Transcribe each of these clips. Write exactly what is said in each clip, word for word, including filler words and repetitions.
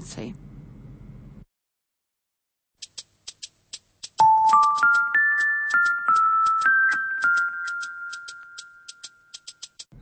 пісьменніцай.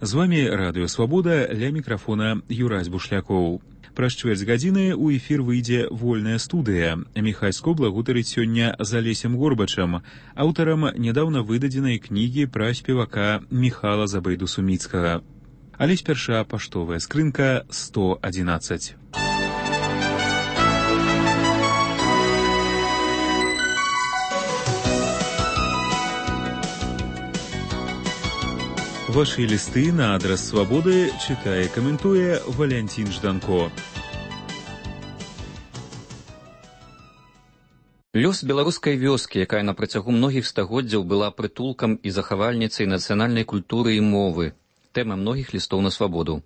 З вами Радыё Свабода, ля мікрафона Юрась Бушлякоў. Праз чвэрць гадзіны ў эфір выйдзе вольная студыя. Міхайско благутарыць сёння з Алесем Горбачам, аўтарам нядаўна выдадзенай кнігі пра спевака Міхала Забайду-Суміцкага. Але спярша паштовая скрынка сто адзінаццаць. Ваши листы на адрес Свободы читае і каментуе Валянцін Жданко. Лёс беларускай вёскі, якая на працягу многіх стагоддзяў была прытулкам і захавальніцай нацыянальнай культуры і мовы, тэма многіх лістоў на свабоду.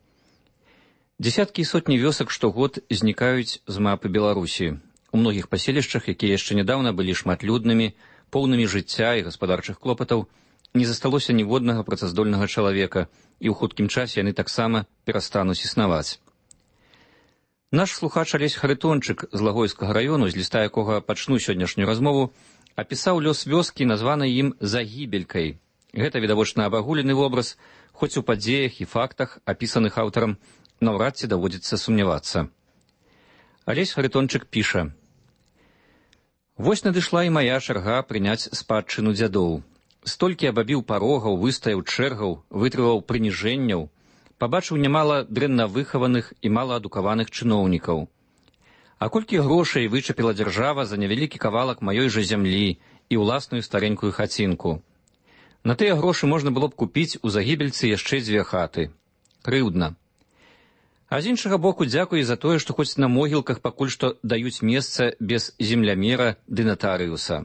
Дзесяткі і сотні вёсак штогод знікаюць з мапы Беларусі. У многіх паселішчах, якія яшчэ нядаўна былі шматлюднымі, поўнымі жыцця і гаспадарчых клопатаў, не засталося ніводнага працаздольнага чалавека, і ў хуткім часе яны таксама перастануць існаваць. Наш слухач Алесь Харитончык з Лагойскага раёну, з ліста якога пачну сённяшнюю размову, апісаў лёс вёскі, названай ім Загібелькай. Гэта відавочна абагулены вобраз, хоць у падзеях і фактах, апісаных аўтарам, наўрад ці даводзіцца сумнявацца. Алесь Харитончык піша: «Вось надышла і мая чарга прыняць спадчыну дзядоў. Столькі абабіў парогаў, выстаяў чэргаў, вытрываў прыніжэнняў, пабачыў нямала дрэнна выхаваных і малаадукаваных чыноўнікаў. А колькі грошай вычапіла дзяржава за невялікі кавалак маёй жа зямлі і ўласную старенькую хацінку. На тыя грошы можна было б купіць у Загібельцы яшчэ дзве хаты. Крыўдна. А з іншага боку, дзякуй за тое, што хоць на могілках пакуль што даюць месца без землямера ды натарыуса.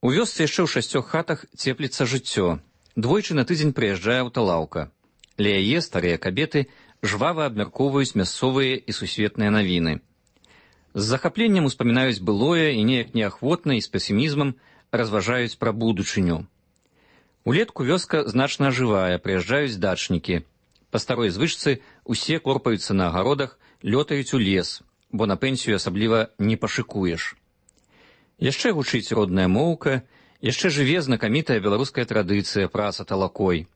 У вёсцы яшчэ ў шасцёх хатах цепліцца жыццё. Двойчы на тыдзень прыязджае аўталаўка. Ля яе старыя кабеты жвава абмяркоўваюць мясцовыя і сусветныя навіны. З захапленнем успамінаюць былое і неяк неахвотна і з песімізмам разважаюць пра будучыню. Улетку вёска значна ажывае, прыязджаюць дачнікі. Па старой звычцы усе корпаюцца на агародах, лётаюць у лес, бо на пенсію асабліва не пашыкуеш. Яшчэ гучыць родная моўка, яшчэ жыве знакамітая беларуская традыцыя праца талакой.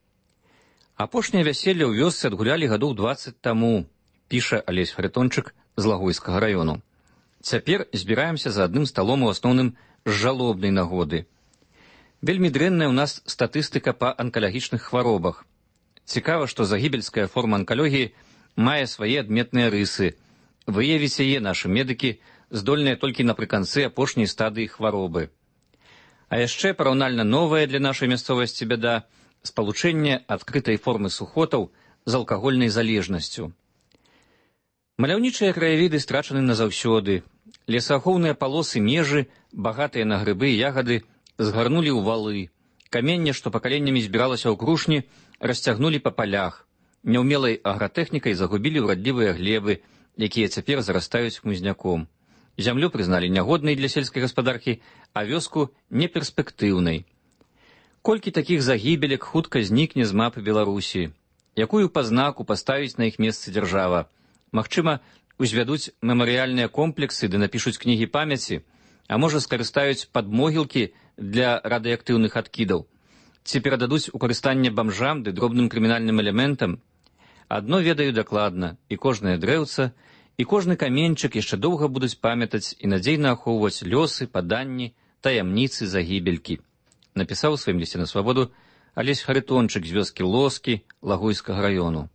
Апошняе вяселле ў вёсцы адгулялі гадоў дваццаць таму, піша Алесь Харитончык з Лагойскага раёну. Цяпер збіраемся за адным сталом у асноўным з жалобнай нагоды. Вельмі дрэнная ў нас статыстыка па анкалагічных хваробах. Цікава, што загібельская форма анкалогіі мае свае адметныя рысы. Выявіць яе нашы медыкі здольныя толькі напрыканцы апошняй стадыі хваробы. А яшчэ параўнальна новая для нашай мясцовасці бяда – спалучэнне адкрытай формы сухотаў з алкагольнай залежнасцю. Маляўнічыя краявіды страчаны назаўсёды. Лесаахоўныя палосы межы, багатыя на грыбы і ягады, згарнулі ў валы. Каменне, што пакаленнямі збіралася ў крушні, расцягнулі па палях. Няўмелай агратэхнікай загубілі ўрадлівыя глебы, якія цяпер зарастаюць хмызняком. Зямлю прызналі нягоднай для сельскай гаспадаркі, а вёску неперспектыўнай. Колькі такіх загібелек хутка знікне з мапы Беларусі? Якую пазнаку паставіць на іх месцы дзяржава? Магчыма, узвядуць мемарыяльныя комплексы ды напішуць кнігі памяці, а можа скарыстаюць падмогілкі для радыеактыўных адкідаў? Ці перададуць у карыстанне бамжам ды дробным крымінальным элементам? Адно ведаю дакладна, і кожнае дрэўца, і кожны каменьчык яшчэ доўга будуць памятаць і надзейна ахоўваць лёсы, паданні, таямніцы загібелькі. Напісаў у сваім лісце на свабоду Алесь Харитончык з вёскі Лоскі Лагойскага раёну.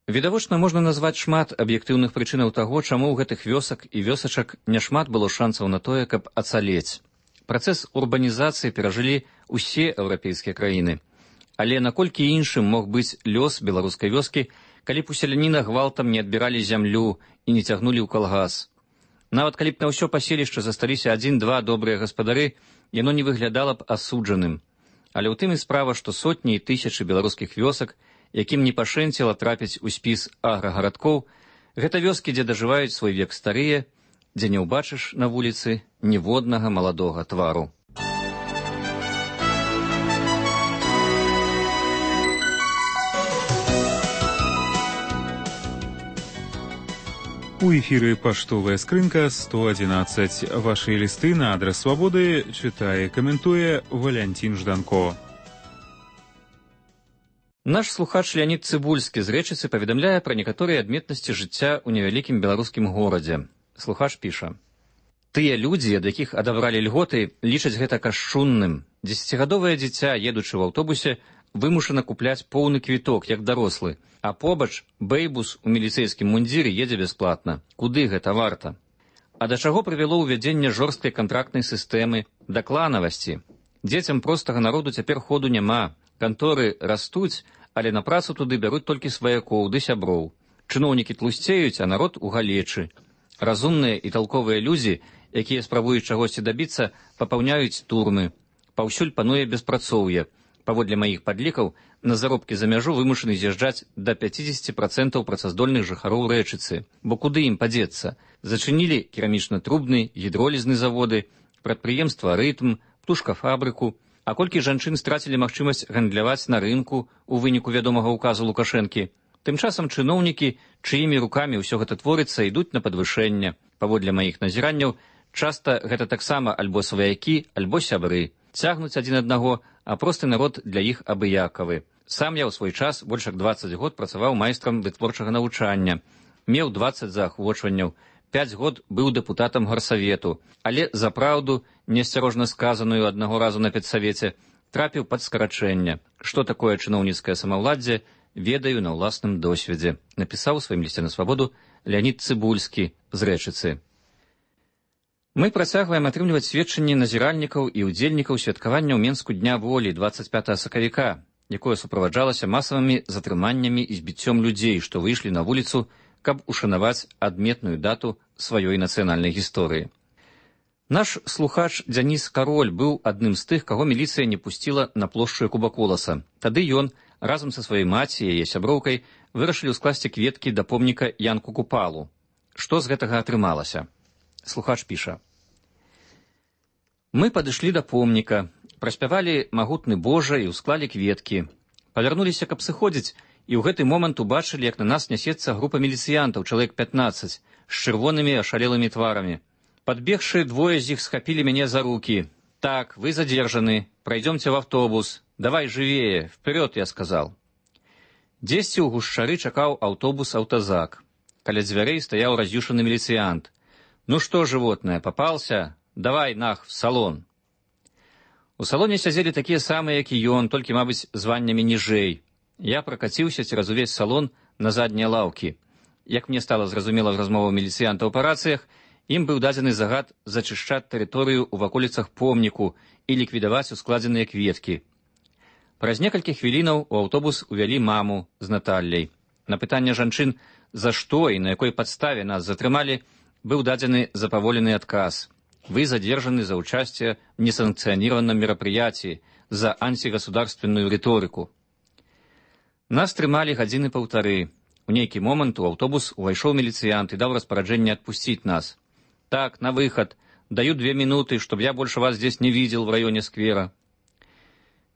Відавочна, можна назваць шмат аб'ектыўных прычынаў таго, чаму ў гэтых вёсак і вёсачак няшмат было шансаў на тое, каб ацалець. Працэс урбанізацыі перажылі ўсе еўрапейскія краіны. Але наколькі іншым мог быць лёс беларускай вёскі, калі б у селяніна гвалтам не адбіралі зямлю і не цягнулі ў калгас. Нават калі б на ўсё паселішча засталіся адзін-два добрыя гаспадары, яно не выглядала б асуджаным. Але ў тым і справа, што сотні і тысячы беларускіх вёсак, якім не пашэнціла трапіць у спіс аграгарадкоў, гэта вёскі, дзе дажываюць свой век старыя, дзе не ўбачыш на вуліцы ніводнага маладога твару. У эфіры паштовая скрынка сто одиннадцать. Ваши листы на адрес Свободы читае, каментуе Валянцін Жданко. Наш слухач Леонид Цыбульскі з Рэчыцы паведамляе пра некаторыя адметнасці жыцця ў невялікім беларускім горадзе. Слухач піша: «Тыя людзі, ад якіх адабралі льготы, лічаць гэта кашчунным. Дзесяцігадовае дзіця, едучы ў аўтобусе, вымушана купляць поўны квіток, як дарослы, а побач бэйбус у міліцэйскім мундзіры едзе бясплатна. Куды гэта варта? А да чаго прывяло ўвядзенне жорсткай кантрактнай сістэмы, да кланавасці? Дзецям простага народу цяпер ходу няма. Канторы растуць, але на працу туды бяруць толькі сваякоў ды сяброў. Чыноўнікі тлусцеюць, а народ у галечы. Разумныя і талковыя людзі, якія спрабуюць чагосьці дабіцца, папаўняюць турмы. Паўсюль пануе беспрацоўе. Паводле маіх падлікаў, на заробкі за мяжу вымушаны з'язджаць да пяцідзесяці працэнтаў працаздольных жыхароў Рэчыцы. Бо куды ім падзецца? Зачынілі керамічна-трубны, гідролізны заводы, прадпрыемства «Рытм», птушкафабрыку. А колькі жанчын страцілі магчымасць гандляваць на рынку ў выніку вядомага ўказу Лукашэнкі? Тым часам чыноўнікі, чыімі рукамі ўсё гэта творыцца, ідуць на падвышэнне. Паводле маіх назіранняў, часта гэта таксама альбо сваякі, альбо сябры. Цягнуць адзін аднаго, а просты народ для іх абыякавы. Сам я ў свой час больш як дваццаць год працаваў майстрам вытворчага навучання. Меў дваццаць заахвочванняў. Пяць год быў дэпутатам гарсавету, але за праўду, неасцярожна сказаную аднаго разу на педсавеце, трапіў пад скарачэнне. Што такое чыноўніцкае самаўладдзе, ведаю на ўласным досведзе. Напісаў у сваім лісце на Свабоду Леонид Цыбульскі з Рэчыцы. Мы працягваем атрымліваць сведчанні назіральнікаў і ўдзельнікаў святкавання ў Менску Дня волі дваццаць пятага сакавіка, якое суправаджалася масавымі затрыманнямі і збіццём людзей, што выйшлі на вуліцу, каб ушанаваць адметную дату сваёй нацыянальнай гісторыі. Наш слухач Дзяніс Кароль быў адным з тых, каго міліцыя не пусціла на плошчу Кубаколаса. Тады ён, разам са сваёй маці і яе сяброўкай, вырашылі ўскласці кветкі да помніка Янку Купалу. Што з гэтага атрымалася? Слухач піша: «Мы падышлі да помніка, праспявалі магутны Божа і ўсклалі кветкі. Павярнуліся, каб сыходзіць, і ў гэты момант убачылі, як на нас нясецца група міліцыянтаў, чалавек пятнаццаць, з чырвонымі ашалелымі тварамі. Падбегшы, двое з іх схапілі мяне за рукі. Так, вы задержаны, пройдемте в автобус. Давай живее, вперед, я сказал. Дзесьці ў гушчары чакаў аўтобус «Аўтазак». Каля дзвярэй стаяў раз'юшаны міліцыянт. Ну что, животное, попался? Давай, нах, в салон. У салоне сядзелі такія самыя, як і ён, толькі, мабыць, званнямі ніжэй. Я пракаціўся цераз увесь салон на заднія лаўкі. Як мне стала зразумела з размоваў міліцыянтаў па рацыях, ім быў дадзены загад зачышчаць тэрыторыю ў ваколіцах помніку і ліквідаваць ускладзеныя кветкі. Праз некалькі хвілінаў у аўтобус увялі маму з Наталляй. На пытанне жанчын, за што і на якой падставе нас затрымалі, быў дадзены запаволены адказ. Вы задержаны за участие в несанкционированном мероприятии, за антигосударственную риторику. Нас трымалі гадзіны паўтары. У нейкі момант у аўтобус увайшоў міліцыянт і даў распараджэнне адпусціць нас. Так, на выход. Даю две минуты, чтобы я больше вас здесь не видел в районе сквера.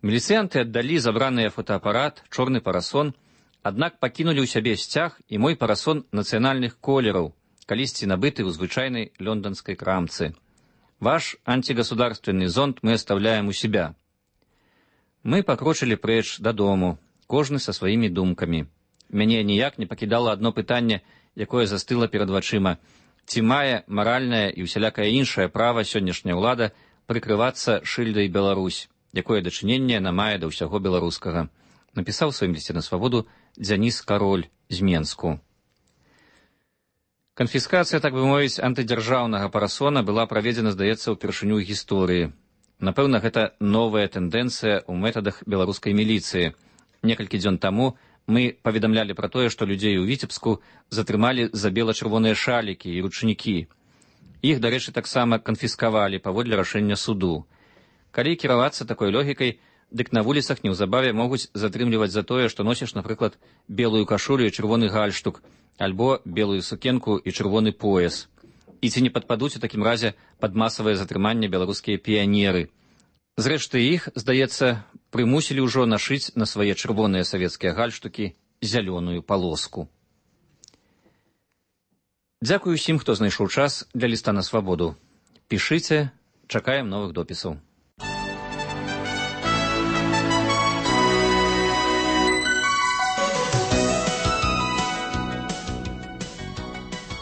Міліцыянты аддалі забраныя фотоапарат, чорны парасон, аднак пакінулі ў сябе сцяг і мой парасон нацыянальных колераў, калісьці набыты ў звычайнай лёнданскай крамцы. Ваш антигосударственный зонт мы оставляем у себя. Мы покрочили прэч дадому, кожны са сваімі думкамі. Мяне ніяк не пакідала адно пытанне, якое застыла перад вачыма. Ці мае маральнае і усялякае іншае права сённяшняя ўлада прыкрывацца шыльдай Беларусь, якое дачыненне яна мае да ўсяго беларускага. Напісаў у сваім лісце на Свабоду Дзяніс Кароль з Менску. Канфіскацыя, так бы мовіць, антыдзяржаўнага парасона была праведзена, здаецца, упершыню ў гісторыі. Напэўна, гэта новая тэндэнцыя ў метадах беларускай міліцыі. Некалькі дзён таму мы паведамлялі пра тое, што людзей у Віцебску затрымалі за бела-чырвоныя шалікі і ручнікі. Іх, дарэчы, таксама канфіскавалі паводле рашэння суду. Калі кіравацца такой логікай, дык на вуліцах неўзабаве могуць затрымліваць за тое, што носіш, напрыклад, белую кашулю і чырвоны гальштук, альбо белую сукенку і чырвоны пояс. І ці не падпадуць у такім разе пад масавае затрыманне беларускія піянеры. Зрэшты, іх, здаецца, прымусілі ўжо нашыць на свае чырвоныя савецкія гальштукі зялёную палоску. Дзякую усім, хто знайшоў час для ліста на свабоду. Пішыце, чакаем новых допісаў.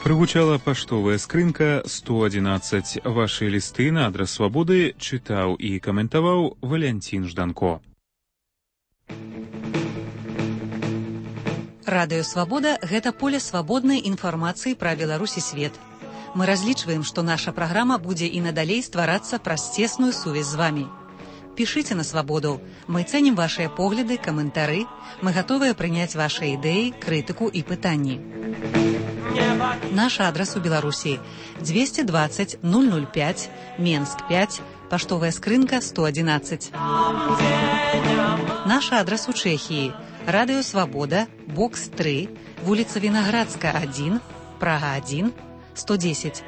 Прыгучала паштовая скрынка сто адзінаццаць. Вашы лісты на адрас свабоды чытаў і каментаваў Валянцін Жданко. Радыё Свабода – гэта поле свабоднай інфармацыі пра Беларусь і свет. Мы разлічваем, што наша праграма будзе і надалей стварацца праз цесную сувязь з вамі. Пішыце на свабоду. Мы цэнім вашыя погляды, каментары. Мы гатовыя прыняць вашыя ідэі, крытыку і пытанні. Наш адрас у Беларусі – двести двадцать ноль ноль пять, Менск пять, паштовая скрынка сто адзінаццаць. Наш адрас у Чэхіі – Радыё Свабода, бокс три, вуліца Вінаградска один, Прага один, сто десять.